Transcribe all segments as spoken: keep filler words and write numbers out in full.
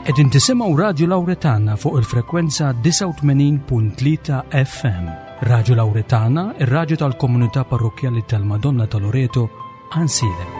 Qegħdin tisimgħu Radju Lawretana fuq il-frekwenza disgħa u tmenin punt tlieta F M. Radju Lawretana, ir-radju tal-Komunità Parrokkjali tal-Madonna ta' Loreto, Għajnsielem.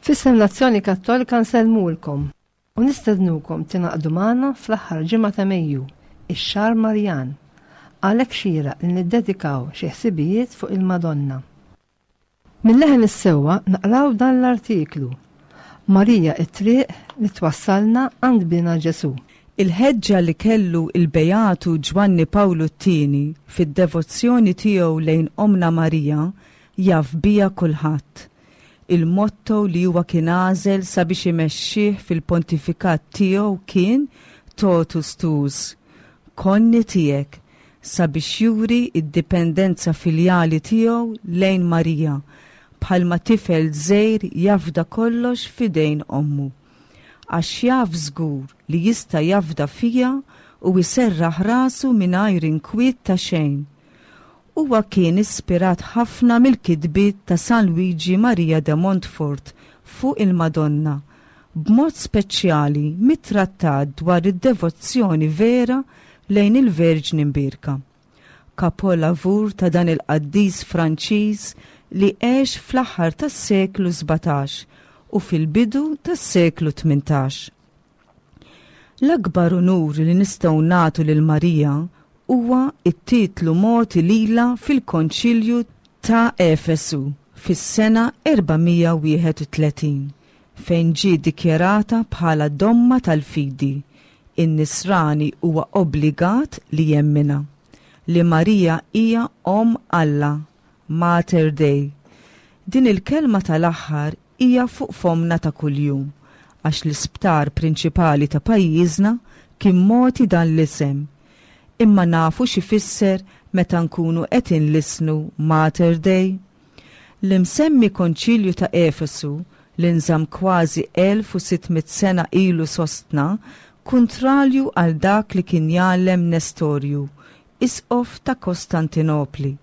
F'isem l-Azzjoni Kattolika nsellmulkom u nistednukom tingħaqdu magħna fl-aħħar ġimgħa ta' Mejju, ix-xahar Marjan, għalhekk xieraq li niddedikaw xi ħsibijiet fuq il-Madonna. Minn Leħen is-Sewwa naqraw dan l-artiklu: Marija it-triq li twassalna għand bina Ġesu. Il-ħeġġa li kellu il-Beatu Ġwanni Pawlu t-Tieni fid-devozzjoni tiegħu lejn Omna Marija jaf bija kulħadd. Il-motto li huwa kien għażel sabiex imexxih fil-pontifikat tiegħu kien "Totus tuus", konni tiegħek, sabiex juri id-dipendenza filjali tiegħu lejn Marija, bħalma tifel żgħir jafda kollox f'idejn ommu. Għax jaf żgur li jista' jafda fiha u jserraħ rasu mingħajr inkwiet ta' xejn. Huwa kien ispirat ħafna mill-kitbiet ta' San Luigi Maria de Montfort fuq il-Madonna, b'mod speċjali mit-trattat dwar id-devozzjoni vera lejn il-Verġni Mbierka. Kapolavur ta' dan il-qaddis Franċiż li għex fl-aħħar tas-seklu sbatax u fil-bidu tas-seklu tmintax. L-akbar unur li nistgħu nagħtu lil Marija huwa it-titlu mogħti lilha fil-Konċilju ta' Efesu fis-sena erba' mija u wieħed u tletin, fejn ġie dikjarata bħala domma tal-fidi. In-Nisrani huwa obbligat li jemmina li Marija hija Om Alla, Mater Dei. Din il-kelma tal-aħħar hija fuq fomna ta' kuljum għax l-isptar prinċipali ta' pajjiżna kien mogħti dan l-isem. Imma nafu x'ifisser meta nkunu qed inlissnu Mater Dei? L-imsemmi Konċilju ta' Efesu li nżamm kważi elf u sitt mitt sena ilu sostna, kontrarju għal dak li kien jgħallem Nestorju, isqof ta' Kostantinopli,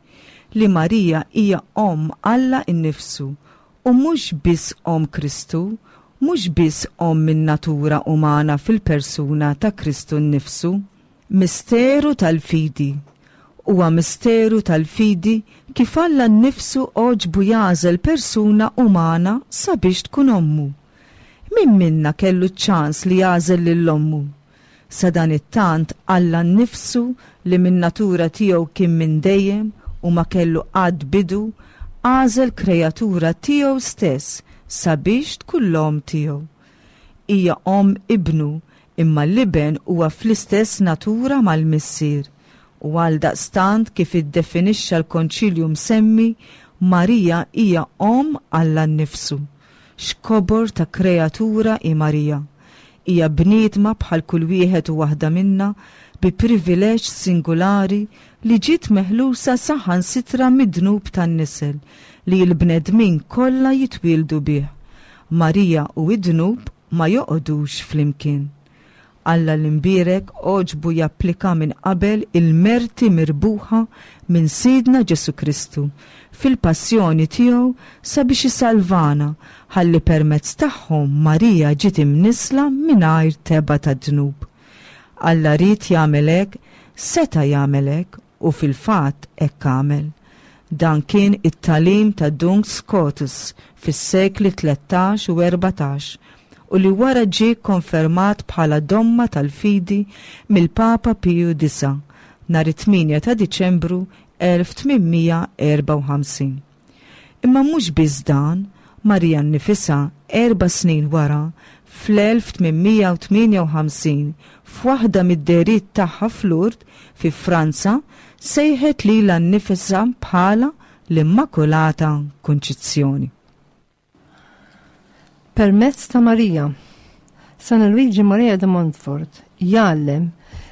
li Marija hija Om Alla innifsu u mhux biss Om Kristu, mhux biss Om min natura umana fil-persuna ta' Kristu nnifsu. Misteru tal-fidi. Huwa misteru tal-fidi kif Alla nnifsu għoġbu jagħżel persuna umana sabiex tkun ommu. Min minna kellu ċans li jagħżel lil ommu? Sadanittant Alla nnifsu, li min natura tiegħu kien minn dejjem u ma kellu qatt bidu, għażel kreatura tiegħu stess sabiex tkun l-om tiegħu. Hija om ibnu, imma l-iben huwa fl-istess natura mal-missier. U għal daqstant, kif iddefinixxa l-konċilju msemmi, Marija hija Om Alla nnifsu. X'kobor ta' kreatura hi Marija! Hija bniedma bħal kull wieħed u waħda minna, bi privileġġ singolari li ġiet meħlusa saħansitra mid-dnub tan-nisel li l-bnedmin kollha jitwieldu bih. Marija u id-dnub ma joqogħdux flimkien. Alla l-imbierek għoġbu japplika minn qabel il-merti mirbuħa minn Sidna Ġesu Kristu fil-passjoni tiegħu sabiex isalvana, ħalli permezz tagħhom Marija ġiet imnisla mingħajr tebgħa ta' dnub. Alla ried jagħmel hekk, seta' jagħmel hekk u fil-fatt hekk għamel. Dan kien it-tagħlim ta' Duns Scotus fis-sekli tlettax u erbatax u li wara ġie konfermat bħala domma tal-fidi mill-Papa Piju Disa' nhar it-tmienja ta' Diċembru elf tmien mija erbgħa u ħamsin. Imma mhux biss dan, Marija nnifisha erba' snin wara fl-elf tmien mija tmienja u ħamsin f'waħda mid-dehriet tagħha f'Lourdes fi Franza sejħet lilha nnifisha bħala l-Immakulata Kunċizzjoni. Permezz ta' Marija, San Luigi Maria de Montfort jgħallem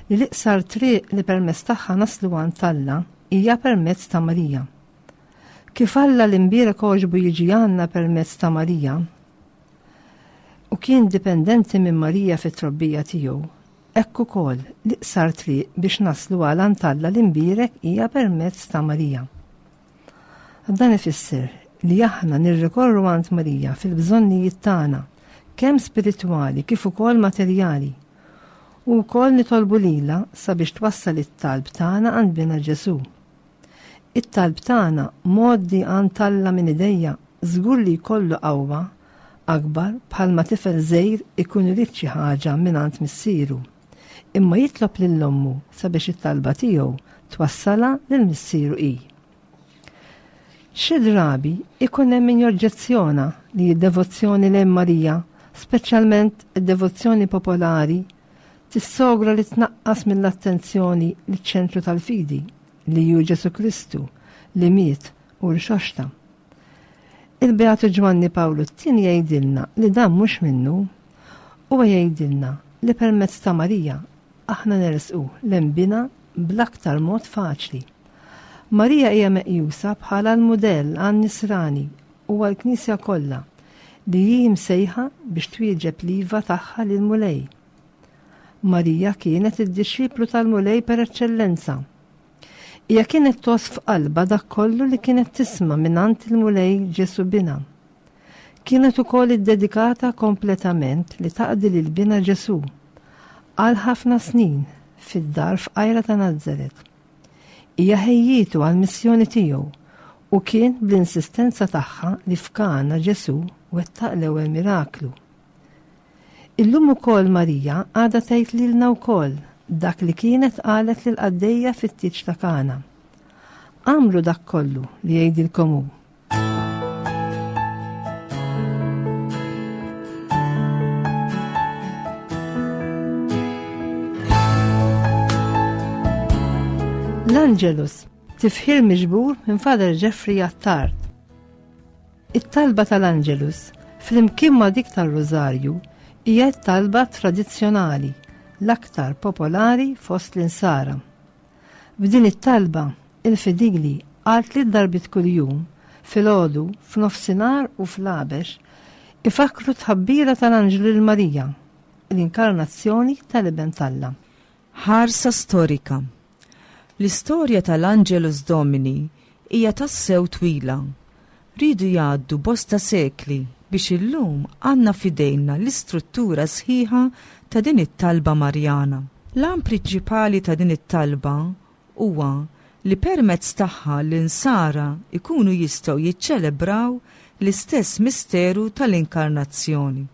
li l-iqsar triq li permezz tagħha naslu għand Alla hija permezz ta' Marija. Kif Alla l-imbierek għoġbu jiġi għandna permezz ta' Marija u kien dipendenti minn Marija fit-trobbija tiegħu, hekk ukoll l-iqsar triq biex naslu għal għand Alla l-imbierek hija permezz ta' Marija. Dan ifisser li aħna nirrikorru għand Marija fil-bżonnijiet tagħna, kemm spiritwali kif ukoll materjali, u wkoll nitolbu lilha sabiex twassal it-talb tagħna għand Binha Ġesù. It-talb tagħna mgħoddi għand Alla minn idejja żgur li jkollu qawwa akbar bħalma tifel żgħir ikun irid xi ħaġa mingħand missieru, imma jitlob lil ommu sabiex it-talba tiegħu twassalha lil missieru hi. Xi drabi ikun hemm min joġġezzjona li d-devozzjoni lejn Marija, speċjalment id-devozzjoni popolari, tissogra li tnaqqas mill-attenzjoni liċ-ċentru tal-fidi, li hu Ġesù Kristu, li miet u rxoxta. Il-Beatu Ġwanni Pawlu t-tieni jgħidilna li dan mhux minnu, huwa jgħidilna li permezz ta' Marija aħna nersqu lejn Binha bl-aktar mod faċli. Marija hija meqjusa bħala l-mudell għan-nisrani u għall-Knisja kollha li hi msejħa biex twieġeb l-iva tagħha lill-Mulej. Marija kienet id-dixxiplu tal-Mulej per eċċellenza. Hija kienet tgħożż f'qalbha dak kollu li kienet tisma' mingħand il-Mulej Ġesù Binha. Kienet ukoll iddedikata kompletament li taqdi lil Binha Ġesù għal ħafna snin fid-dar f'Qajra ta' Nazaret. Hija ħejjietu għall-missjoni tiegħu u kien bl-insistenza tagħha li f'Kana Ġesù wettaq l-ewwel miraklu. Illum ukoll Marija għadha tgħid lilna wkoll dak li kienet qalet lil qaddejja fit-tieġ ta' Kana. Għamlu dak kollu li jgħidilkom hu. L-Angelus, tifħir miġbur minn Father Jeffrey Attard. It-talba tal-Angelus, flimkien ma' dik tal-Rożarju, hija t-talba tradizzjonali l-aktar popolari fost l-insara. B'din it-talba, il-fidili għal tliet darbiet kuljum, filgħodu, f'nofsinhar u fl-għabex, ifakru tħabbira tal-Anġlu lil Marija, l-inkarnazzjoni tal-Iben t'Alla. Ħarsa storika. L-istorja tal-Angelus Domini hija tassew twila. Ridu jgħaddu bosta sekli biex illum għandna f'idejna l-istruttura sħiħa ta' din it-talba Marjana. L-għan prinċipali ta' din it-talba huwa li permezz tagħha l-insara ikunu jistgħu jiċċelebraw l-istess misteru tal-inkarnazzjoni.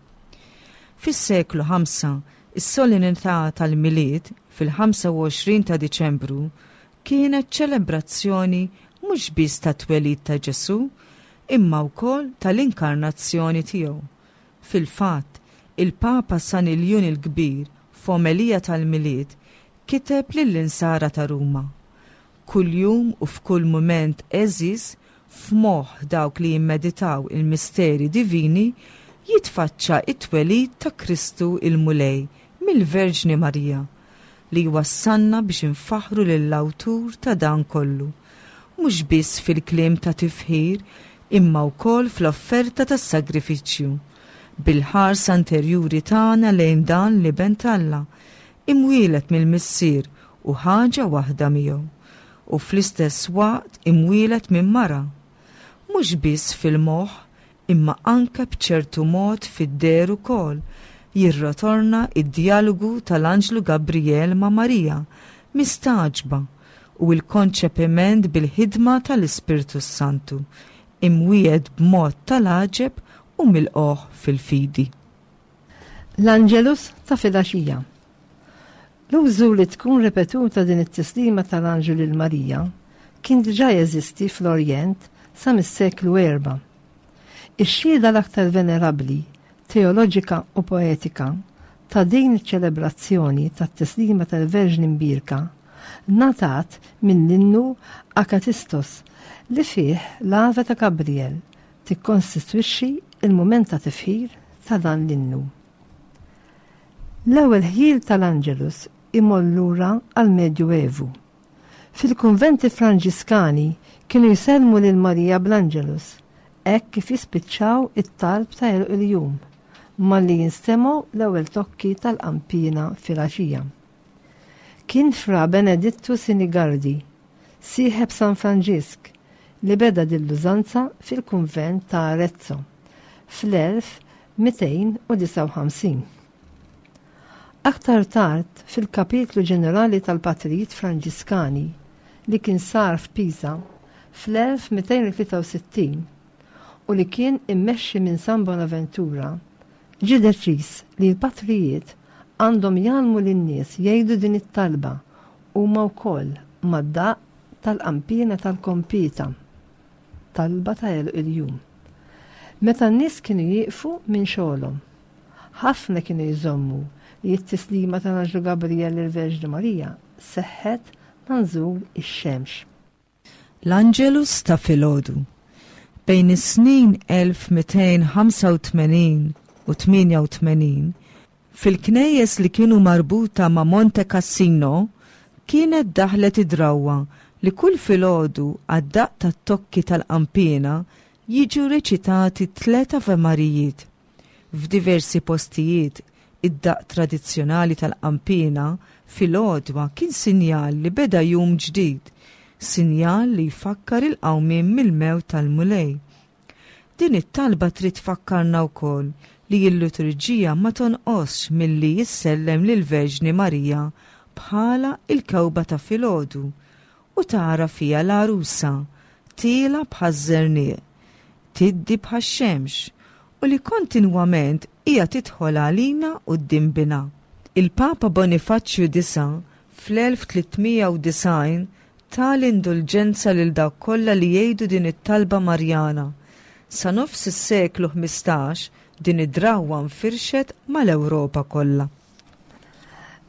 Fis-seklu ħamsa, is-solennità tal-Milied fil-ħamsa u għoxrin ta' Diċembru kienet ċelebrazzjoni mhux biss tat-twelid ta' Ġesù, imma wkoll tal-inkarnazzjoni tiegħu. Fil-fatt, il-Papa San Iljun il-Kbir f'omelija tal-Milied kiteb lill-insara ta' Ruma. Kuljum u f'kull mument għeżież f'moħħ dawk li jimmeditaw il-misteri divini jitfaċċa it-twelid ta' Kristu il-Mulej mill-Verġni Marija, li jwassalna biex infaħru lill-awtur ta' dan kollu, mhux biss fil-kliem ta' tifħir imma wkoll fl-offerta tas-sagrifiċċju, bil-ħarsa interjuri tagħna lejn dan l-Iben t'Alla, imwielet mill-Missier u ħaġa waħda miegħu, u fl-istess waqt imwielet minn mara. Mhux biss fil-moħħ, imma anke b'ċertu mod fid-deher ukoll, jirritorna id-dialogu tal-Anġlu Gabriel ma' Marija, mistagħġba, u l-konċepiment bil-ħidma tal-Ispirtu Santu, imwiegħed b'mod tal-għaġeb u milqugħ fil-fidi. L-Angelus ta' filgħaxija. L-użu li tkun ripetuta din it-tislima tal-Anġlu lil Marija kien diġà jeżisti fl-Orjent sa mis-seklu erba'. Ix-xhieda l-aktar venerabbli, teoloġika u poetika ta' din iċ-ċelebrazzjoni tat-tislima tal-Verġni Mbierka ngħatat mill-innu Akatistos li fih l-Ave ta' Gabriel tikkostitwixxi il-mument ta' tifħir ta' dan l-innu. L-ewwel ħjiel tal-Angelus imur lura għall-Medju Evu. Fil-kunventi Franġiskani kienu jsellmu lil Marija bl-Angelus hekk kif jispiċċaw it-talb ta' għeluq il-jum malli jinstemgħu l-ewwel tokki tal-qampina filgħaxija. Kien Fra Benedittu Sinigardi, sieħeb San Franġisk, li beda din l-użanza fil-kunvent ta' Arezzo fl-elf mitejn u disgħa u ħamsin. Aktar tard fil-kapitlu ġenerali tal-Patrijiet Franġiskani li kien sar f'Pisa fl-elf mitejn u tlieta u sittin u li kien immexxi minn San Bonaventura, ġie deċiż li l-patrijiet għandhom jgħallmu lin-nies jgħidu din it-talba huma wkoll mad-daqq tal-qampina tal-kompita, talba ta' għeluq il-jum. Meta n-nies kienu jieqfu minn xogħolhom, ħafna kienu jżommu li t-tislima tal-Anġlu Gabriel lill-Verġni Marija seħħet ma' nżul ix-xemx. L-Angelus ta' filgħodu. Bejn is-snin elf mitejn ħamsa u tmenin u tmienja u tmenin, fil-knejjes li kienu marbuta ma' Monte Cassino, kienet daħlet id-drawwa li kull filgħodu għad-daqq tat-tokki tal-qampina jiġu reċitati tliet Ave Marijiet. F'diversi postijiet, id-daqq tradizzjonali tal-qampina fil-għodwa kien sinjal li beda jum ġdid, sinjal li jfakkar il-qawmien mill-mewt tal-Mulej. Din it-talba trid tfakkarna wkoll li l-liturġija ma tonqosx milli jissellem lill-Verġni Marija bħala il-kewba ta' filgħodu u tara fija l-għarusa tiela bħaż-żerniq, tiddi bħax-xemx u li kontinwament hija tidħol għalina quddiem binha. Il-Papa Bonifaċċju disa' fl-elf tlietmija u disgħin ta l-indulġenza lil dawk kollha li jgħidu din it-talba Marjana. Sa nofs is-seklu ħmistax din id-drawwa nfirxet mal-Ewropa kollha.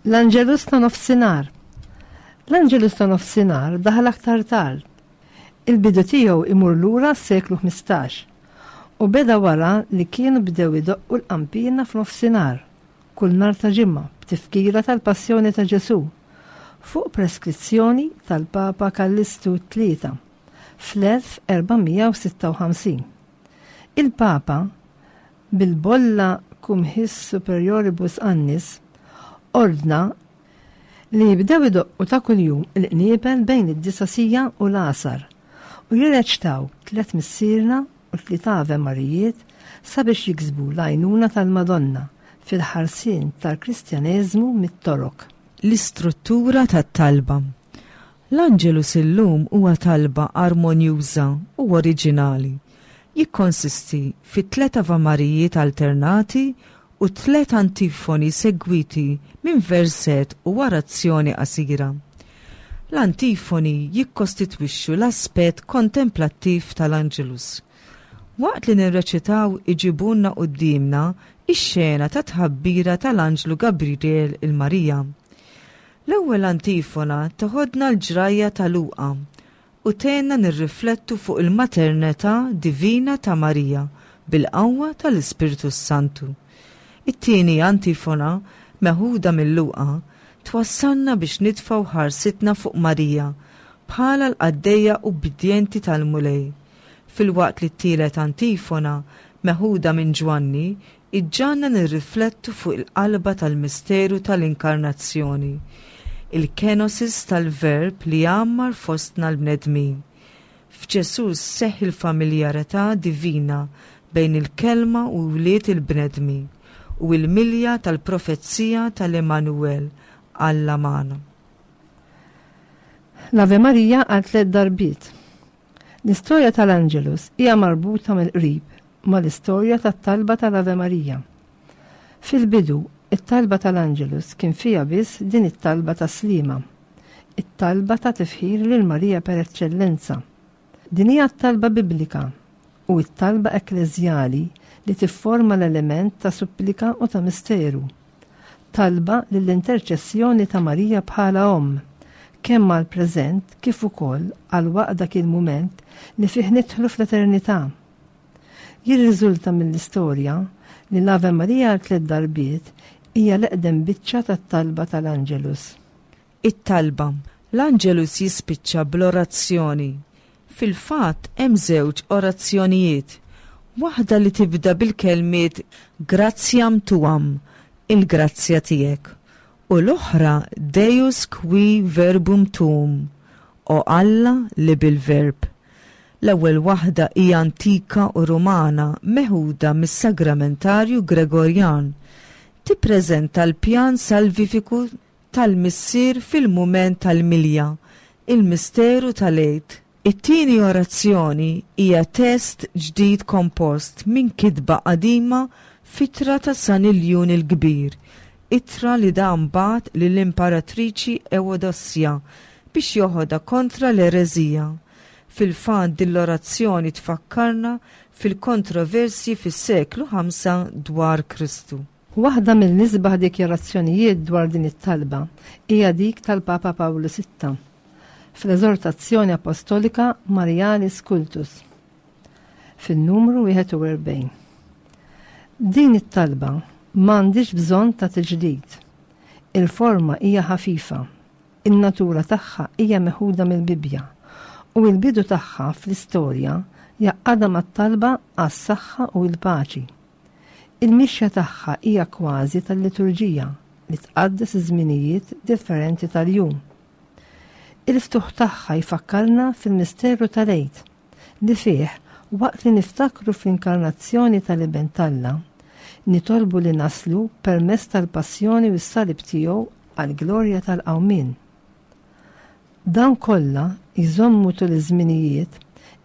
L-Angelus ta' nofsinhar. L-Angelus ta' nofsinhar daħal aktar tard. Il-bidu tiegħu imur lura s-seklu ħmistax u beda wara li kienu bdew idoqqu l-qampina f'nofsinhar kull nhar ta' ġimgħa b'tifkira tal-Passjoni ta' Ġesù fuq preskrizzjoni tal-Papa Kallistu tlieta fl-elf erbamija u sitta u ħamsin. Il-Papa bil-bolla cum his superioribus annis ordna li jibdew idoqqu ta' kuljum il-qniebel bejn id-disasija u l-għasar u jirreċtaw tliet Missierna u tliet Ave Marijiet sabiex jiksbu l-għajnuna tal-Madonna fil-ħarsien tal-Kristjaneżmu mit-Torok. L-istruttura tat-talba. L-Angelus illum huwa talba armonjuża u oriġinali. Jikkonsisti fi tliet Ave Marijiet alternati u tliet antifoni segwiti minn verset u orazzjoni qasira. L-antifoni jikkostitwixxu l-aspett kontemplattiv tal-Angelus. Waqt li nirreċitaw iġibunna quddiemna ix-xena ta' tħabbira tal-Anġlu Gabriel il-Marija. L-ewwel antifona toħodna l-ġrajja ta' Luqa u tgħinna nirriflettu fuq il-maternità divina ta' Marija bil-qawwa tal-Ispirtu Santu. It-tieni antifona meħuda mill-Luqa twassalna biex nitfgħu ħarsitna fuq Marija bħala l-qaddejja ubbidjenti tal-Mulej. Filwaqt li t-tielet antifona meħuda minn Ġwanni iġġanna nirriflettu fuq il-qalba tal-misteru tal-inkarnazzjoni, il-kenosis tal-verb li jgħammar fostna l-bnedmin. F'Ġesù seħħ il-familjarità divina bejn il-kelma u wlied il-bnedmin u l-milja tal-profezija tal-Emanuel, Alla magħna. L-Ave Maria għal tliet darbiet. L-istorja tal-Angelus hija marbuta mill-qrib mal-istorja tat-talba tal-Ave Maria. Fil-bidu, it-talba tal-Angelus kien fiha biss din it-talba ta' Slima, it-talba ta' tifħir lil Marija per eċċellenza. Din hija t-talba biblika u t-talba ekkleżjali li tifforma l-element ta' supplika u ta' misteru. Talba lill-interċessjoni ta' Marija bħala omm, kemm għall-preżent kif ukoll għal waqt dak il-mument li fih nidħlu fl-eternità. Jirriżulta mill-istorja li l-Ave Maria għal tliet darbiet hija l-eqdem biċċa tat-talba tal-Angelus. It-talba. L-Angelus jispiċċa bl-orazzjoni. Fil-fatt hemm żewġ orazzjonijiet. Waħda li tibda bil-kelmiet Gratiam tuam, il-grazzja tiegħek, u l-oħra Deus qui verbum tuum, o Alla li bil-verb. L-ewwel waħda hija antika u Rumana meħuda mis-Sagramentarju Gregorjan. Tippreżenta l-pjan salvifiku tal-Missier fil-mument tal-milja, il-misteru tal-Għid. It-tieni orazzjoni hija test ġdid kompost minn kitba qadima f'ittra ta' San Iljun il-Kbir, ittra li dan bagħat lill-Imperatriċi Ewodossja biex joħodha kontra l-ereżija. Fil-fatt din l-orazzjoni tfakkarna fil-kontroversji fis-seklu ħamsa dwar Kristu. Waħda mill-isbaħ dikjarazzjonijiet dwar din it-talba hija dik tal-Papa Pawlu sitta fl-eżortazzjoni apostolika Marialis Cultus fin-numru wieħed u erbgħin. Din it-talba m'għandix bżonn ta' tiġdid. Il-forma hija ħafifa, in-natura tagħha hija meħuda mill-Bibbja u l-bidu tagħha fl-istorja jaqgħadha mat-talba għas-saħħa u l-paċi. Il-mixja tagħha hija kważi tal-liturġija li tqaddes iż-żminijiet differenti tal-jum. Il-ftuħ tagħha jfakkarna fil-misteru tal-Għid li fih waqt li niftakru fl-inkarnazzjoni tal-Iben t'Alla, nitolbu li naslu permezz tal-passjoni u s-salib tiegħu għall-glorja tal-qawmien. Dan kollha jżommu tul iż-żminijiet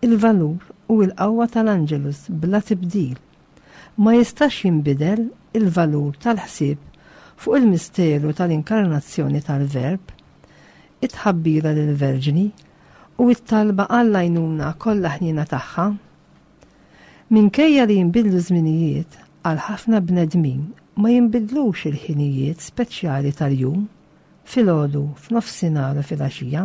il-valur u l-qawwa tal-Angelus bla tibdil. Ma jistax jinbidel il-valur tal-ħsieb fuq il-misteru tal-inkarnazzjoni tal-Verb, it-tħabbira lill-Verġni u t-talba għall-għajnuna kollha ħniena tagħha. Minkejja li jinbidlu żminijiet għal ħafna bnedmin ma jinbidlux il-ħinijiet speċjali tal-jum, filgħodu, f'nofsinhar u filgħaxija,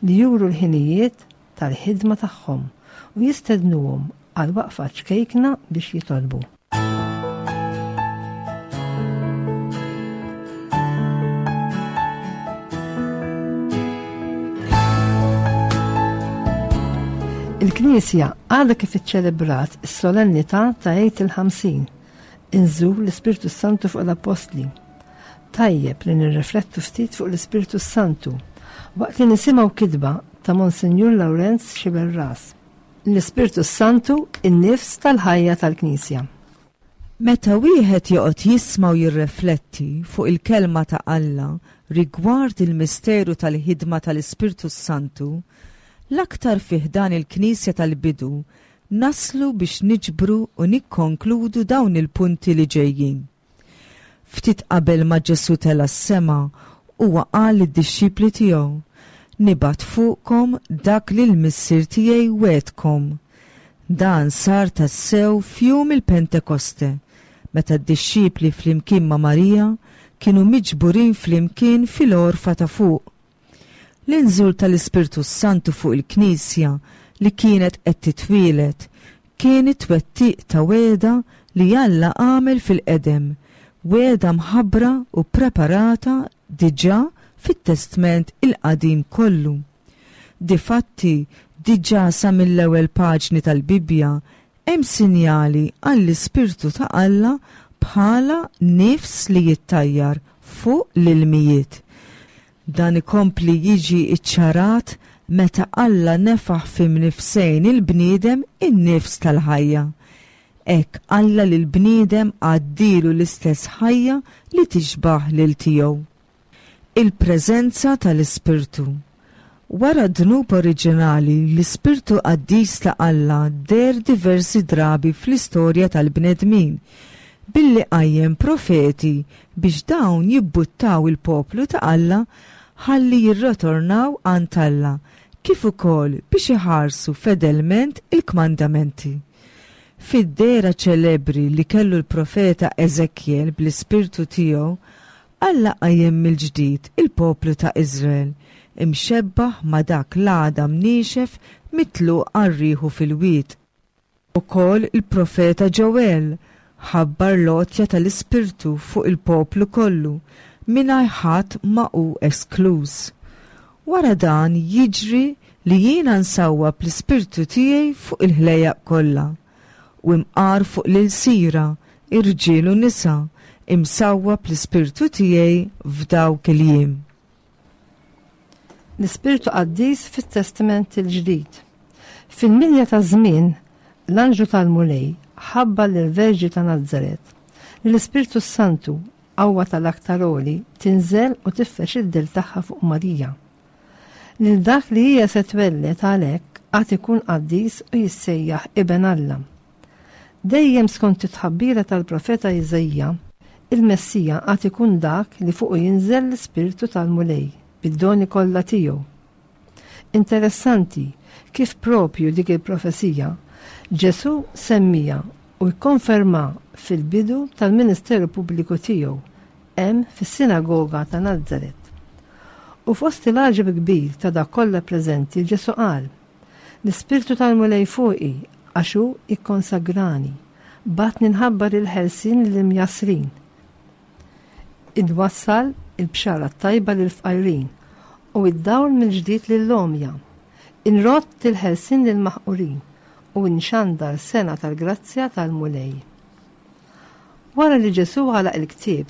li juru l-ħinijiet tal-ħidma tagħhom u jistednuhom għal waqfa ċkejkna biex jitolbu. Il-Knisja għadha kif iċċelebrat is-solennità ta' Għid il-Ħamsin, inżul l-Ispirtu Santu fuq l-Appostli. Tajjeb li nirriflettu ftit fuq l-Ispirtu Santu waqt li nisimgħu kitba ta' Monsinjur Lawrenz Sciberras. L-Ispirtu Santu, in-nifs tal-ħajja tal-Knisja. Meta wieħed joqgħod jisma' u jirrifletti fuq il-kelma ta' Alla rigward il-misteru tal-ħidma tal-Ispirtu Santu, l-aktar fih dan il-Knisja tal-bidu naslu biex niġbru u nikkonkludu dawn il-punti li ġejjin. Ftit qabel ma Ġesu tela' s-sema, huwa qal lid-dixxipli tiegħu, Nibgħat fuqkom dak li l-Missier tiegħi wegħedkom. Dan sar tassew f'jum il-Pentekoste, meta d-dixxipli flimkien ma' Marija kienu miġburin flimkien fil-għorfa ta' fuq. L-inżul tal-Ispirtu Santu fuq il-Knisja li kienet qed titwielet kien it-twettiq ta' wegħda li Alla għamel fil-qedem, wegħda mħabbra u preparata diġà fit-Testment il-Qadim kollu. Difatti, diġà sa mill-ewwel paġni tal-Bibbja hemm sinjali għall-Ispirtu ta' Alla bħala nifs li jittajjar fuq l-ilmijiet. Dan ikompli jiġi iċċarat meta Alla nefaħ fi mnifsejn il-bniedem in-nifs tal-ħajja. Hekk Alla lil bniedem għaddilu l-istess ħajja li tixbaħ lil tiegħu. Il-preżenza tal-Ispirtu. Wara d-dnub oriġinali, l-Ispirtu Qaddis ta' Alla deher diversi drabi fl-istorja tal-bnedmin, billi qajjem profeti biex dawn jibbuttaw il-poplu ta' Alla ħalli jirritornaw għand Alla, kif ukoll biex iħarsu fedelment il-kmandamenti. Fid-dehra ċelebri li kellu l-profeta Eżekjel bl-ispirtu tiegħu, Alla qajjem mill-ġdid il-poplu ta' Iżrael, imxebbaħ ma' dak l-għadam niexef mitluq għar-riħu fil-wied. Ukoll il-profeta Ġoel ħabbar l-għotja tal-Ispirtu fuq il-poplu kollu, mingħajr ħadd ma hu eskluż. Wara dan jiġri li jiena nsawwab l-Ispirtu tiegħi fuq il-ħlejjaq kollha, u imqar fuq l-ilsira, irġiel u nisa, imsawwab l-Ispirtu tiegħi f'dawk il-jiem. L-Ispirtu Qaddis fit-Testament il-Ġdid. Fil-milja ta' żmien, l-Anġlu tal-Mulej ħabbar lill-Verġni ta' Nazaret li l-Ispirtu Santu, qawwa tal-Aktar Għoli, tinżel u tifrex id-dell tagħha fuq Marija. Lil dak li hija se twelled għalhekk għad ikun qaddis u jissejjaħ Iben Alla. Dejjem skont it-tħabbira tal-profeta Iżaija, il-Messija għad ikun dak li fuqu jinżel l-Ispirtu tal-Mulej bid-doni kollha tiegħu. Interessanti kif propju dik il-profezija Ġesù semmija u jkonferma fil-bidu tal-ministeru pubbliku tiegħu hemm fis-sinagoga ta' Nazaret. U fost il-għaġeb kbir ta' dak kollha preżenti Ġesù qal: L-Ispirtu tal-Mulej fuqi għax hu ikkonsagrani, bagħatni nħabbar il-ħelsien lill-imjassrin. Inwassal il-bxara tajba lill-fqajrin u id-dawl mill-ġdid lill-għomja. Inrodd il-ħelsien lill-maħqurin u nxandar sena tal-grazzja tal-Mulej. Wara li Ġesù għalaq il-ktieb,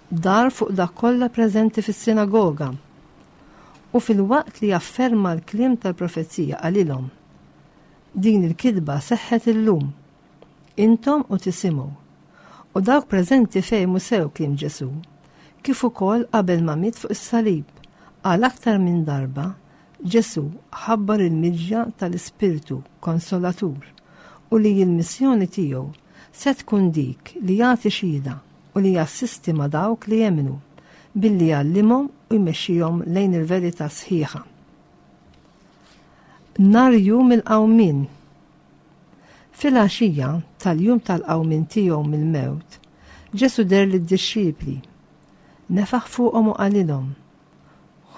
dar fuq dak kollha preżenti fis-sinagoga u filwaqt li afferma l-kliem tal-profezija qalilhom: Din il-kitba seħħet illum, intom u tisimgħu. U dawk preżenti fehmu sew kliem Ġesù, kif ukoll qabel ma miet fuq is-salib, għal aktar minn darba Ġesù ħabbar il-miġja tal-Ispirtu Konsolatur u li l-missjoni tiegħu se tkun dik li jagħti xhieda u li jassisti ma' dawk li jemmnu billi jgħallimhom u jmexxihom lejn il-verità sħiħa. Nhar jum il-qawmien. Fil-għaxija tal-jum tal-qawmien tiegħu mill-mewt, Ġesù deher lid-dixxipli, nefaħ fuqhom u qalilhom: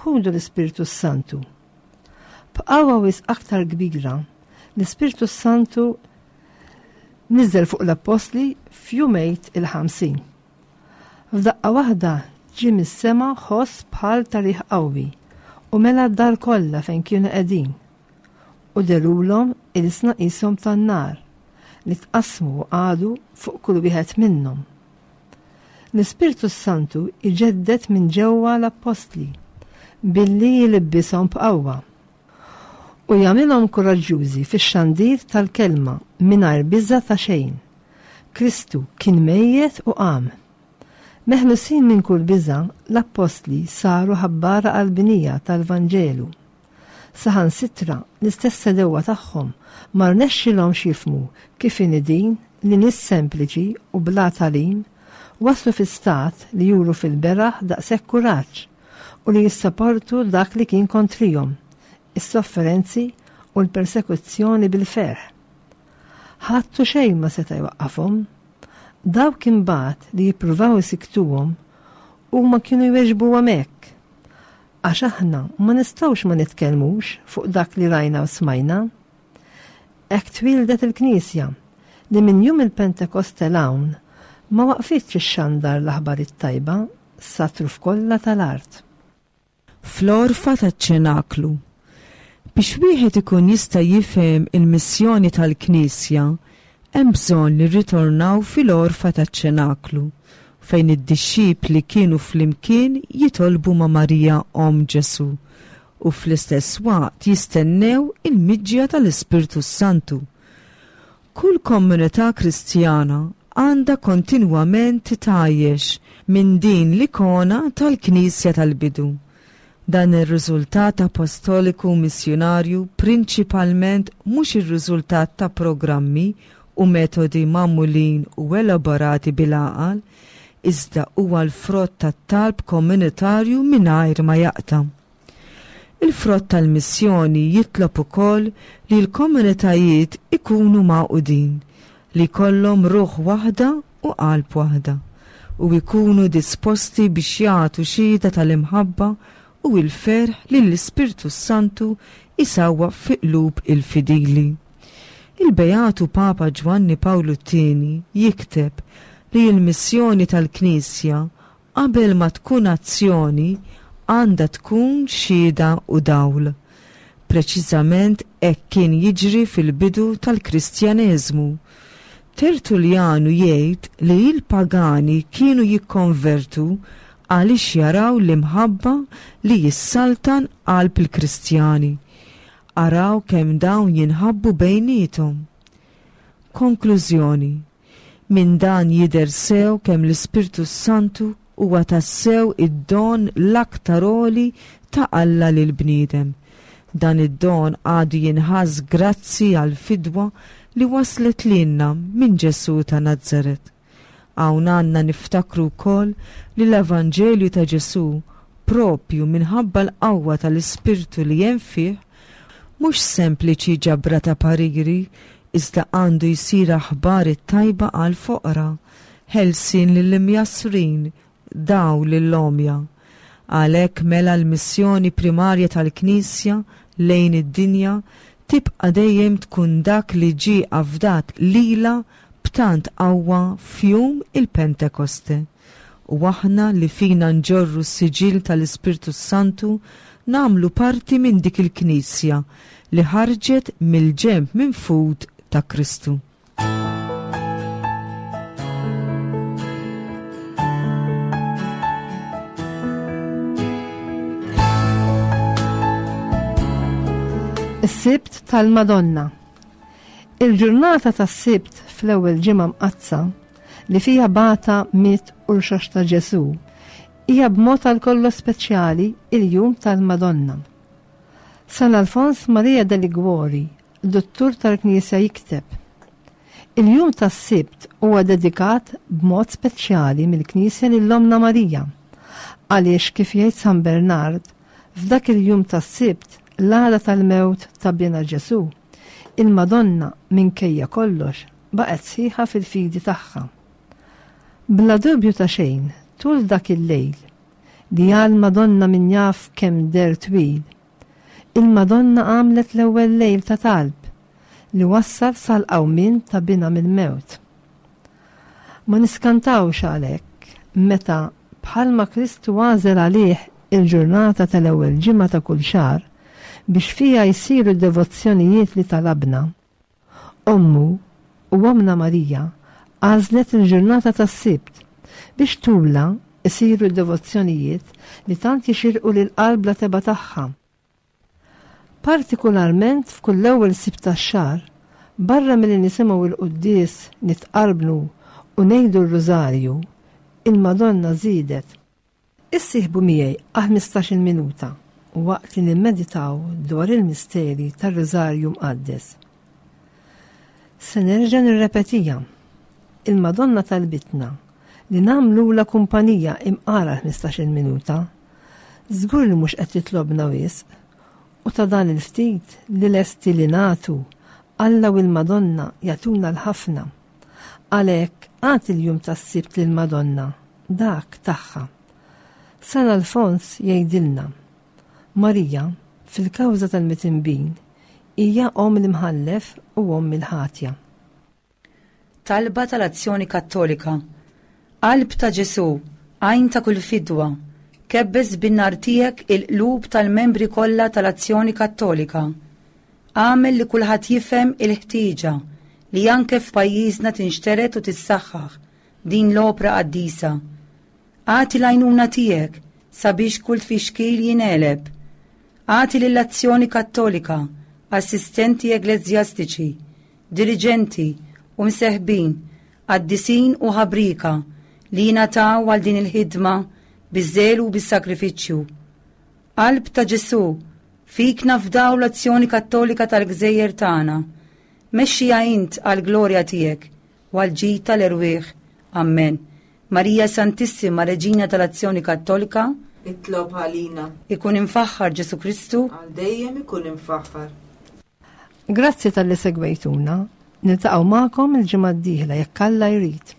Ħudu l-Ispirtu Santu. B'qawwa wisq aktar kbira, l-Ispirtu Santu niżel fuq l-Appostli f'jum Għid il-ħamsin. F'daqqa waħda ġie mis-sema ħoss bħal ta' riħ qawwi u mela d-dar kollha fejn kienu qegħdin. U dehrulhom ilsna qishom tan-nar li tqassmu u qagħdu fuq kull wieħed minnhom. L-Ispirtu Santu iġedded minn ġewwa l-Appostli billi jilibbishom b'qawwa u jagħmilhom kuraġġjużi fix-xandir tal-kelma mingħajr biża' ta' xejn. Kristu kien mejjet u qam. Meħlusin minn kull biża', l-Appostli saru ħabbara qalbinija tal-Vanġelu. Saħansitra l-istess għedewwa tagħhom ma rnexxilhomx jifhmu kif inhi din li nies sempliċi u bla tagħlim waslu fi stat li juru fil-beraħ daqshekk kuraġġ u li jissaportu dak li kien kontrihom, is-sofferenzi u l-persekuzzjoni bil-ferħ. Ħadd u xejn ma seta' jwaqqafhom. Dawk imbagħad li jippruvaw isiktuhom huma kienu jweġbuhom hekk. Għax aħna ma nistgħux ma nitkellmux fuq dak li rajna u smajna. Hekk twildet il-Knisja li minn jum il-Pentekoste 'l hawn ma waqfitx ixxandar l-aħbar it-tajba sat-truf kollha tal-art. Fl-għorfa taċ-ċenaklu. Biex wieħed ikun jista' jifhem il-missjoni tal-Knisja, hemm bżonn li rritornaw fil-għorfa taċ-ċenaklu, fejn id-dixxipli kienu flimkien jitolbu ma' Marija omm Ġesù u fl-istess waqt jistennew il-miġja tal-Ispirtu Santu. Kull komunità Kristjana għandha kontinwament titgħajjex minn din l-ikona tal-Knisja tal-bidu. Dan ir-riżultat apostoliku missjunarju prinċipalment mhux ir-riżultat ta' programmi u metodi magħmulin u elaborati bil-għaqal, iżda huwa l-frott tat-talb komunitarju mingħajr ma jaqta'. Il-frott tal-missjoni jitlob ukoll li l-komunitajiet ikunu magħqudin, li jkollhom ruħ waħda u qalb waħda, u jkunu disposti biex jagħtu xhieda tal-imħabba u l-ferħ li l-Ispirtu Santu isawwab fi qlub il-fidili. Il-Beatu Papa Ġwanni Pawlu t-Tieni jikteb li l-missjoni tal-Knisja qabel ma tkun azzjoni għandha tkun xhieda u dawl. Preċiżament hekk kien jiġri fil-bidu tal-Kristjaneżmu. Tertullianu jgħid li l-pagani kienu jikkonvertu għaliex jaraw l-imħabba li jissaltan qalb il-Kristjani. Araw kemm dawn jinħabbu bejniethom. Konklużjoni. Minn dan jidher sew kemm l-Ispirtu Santu huwa tassew id-don l-aktar għoli ta' Alla lil bniedem. Dan id-don għadu jinħass grazzi għal fidwa li waslet lilna minn Ġesù ta' Nazaret. Hawn għandna niftakru wkoll li l-Evanġelju ta' Ġesù propju minħabba l-qawwa tal-Ispirtu li hemm fih mhux sempliċi ġabra ta' pariri, iżda għandu jsir aħbar it-tajba għal foqra, ħelsien lill-imjassrin, dawl lill-għomja. Għalhekk mela l-missjoni primarja tal-Knisja lejn id-dinja tibqa' dejjem tkun dak li ġie afdat lilha b'tant qawwa f'jum il-Pentekoste. U aħna li fina nġorru s-siġill tal-Ispirtu Santu nagħmlu parti minn dik il-Knisja li ħarġet mill-ġenb minfud ta' Kristu. Is-Sibt tal-Madonna. Il-ġurnata tas-Sibt fl-ewwel ġimgħa mqaddsa li fiha bata miet u rxoxta Ġesù hija b'mod għal kollox speċjali il-jum tal-Madonna. San Alfons Maria de Liguori, dottur tal-Knisja, jikteb: Il-jum tas-Sibt huwa dedikat b'mod speċjali mill-Knisja lil Ommna Marija, għaliex kif jgħid San Bernard, f'dak il-jum tas-Sibt l-għada tal-mewt ta' bina Ġesù, il-Madonna minkejja kollox baqgħet sħiħa fil-fidi tagħha. Bla dubju ta' xejn, tul dak il-lejl li għal Madonna min jaf kemm der twil, il-Madonna għamlet l-ewwel lejl ta' talb li wassal sal-qawmien ta' bina mill-mewt. Ma niskantawx għalhekk meta bħalma Kristu għażel għalih il-ġurnata tal-ewwel ġimgħa ta' kull xahar biex fija jsiru d-devozzjonijiet li talabna. Ommu u Ommna Marija għażlet il-ġurnata tas-Sibt biex tulha jsiru d-devozzjonijiet li tant jixirqu lil qalb la teba' tagħha. Partikularment f'kull ewwel Sibt tax-xahar, barra milli nisimgħu l-quddies, nitqarbnu u ngħidu r-Rużarju, il-Madonna żiedet: Issieħbu miegħi għal ħmistax-il minuta waqt li nimmeditaw dwar il-misteri tar-Rużarju Mqaddes. Se nerġa' nirrepetija. Il-Madonna talbitna li nagħmlulha kumpanija imqara ħmistax-il minuta. Żgur li mhux qed titlobna wisq, u ta' dan il-ftit li lesti li nagħtu, Alla u l-Madonna jagħtuna l-ħafna. Għalhekk agħti l-jum tas-Sibt lill-Madonna, dak tagħha. San Alfons jgħidilna: Marija, fil-kawża tal-mitinbin, hija omm l-imħallef u omm il-ħatja. Talba tal-Azzjoni Kattolika. Qalb ta' Ġesù, għajn ta' kull fidwa, kebbes bin-nar tiegħek il-qlub tal-membri kollha tal-Azzjoni Kattolika. Agħmel li kulħadd jifhem il-ħtieġa li anke f'pajjiżna tinxtered u tissaħħaħ din l-opra qaddisa. Agħti l-għajnuna tiegħek sabiex kull tfixkil jingħeleb. Agħti lill-Azzjoni Kattolika assistenti ekleżjastiċi, diriġenti u mseħbin, qaddisin u ħabrika li jingħataw għal din il-ħidma biż-żelu u bis-sagrifiċċju. Qalb ta' Ġesù, fik nafdaw l-Azzjoni Kattolika tal-Gżejjer tagħna. Mexxiha int għall-glorja tiegħek u għall-ġid tal-erwieħ. Ammen. Marija Santissima, Reġina tal-Azzjoni Kattolika, Itlob għalina. Ikun imfaħħar Ġesù Kristu. Għal dejjem ikun imfaħħar. Grazzi talli segwejtuna. Niltaqgħu magħkom il-ġimgħa d-dieħla jekk Alla jrid.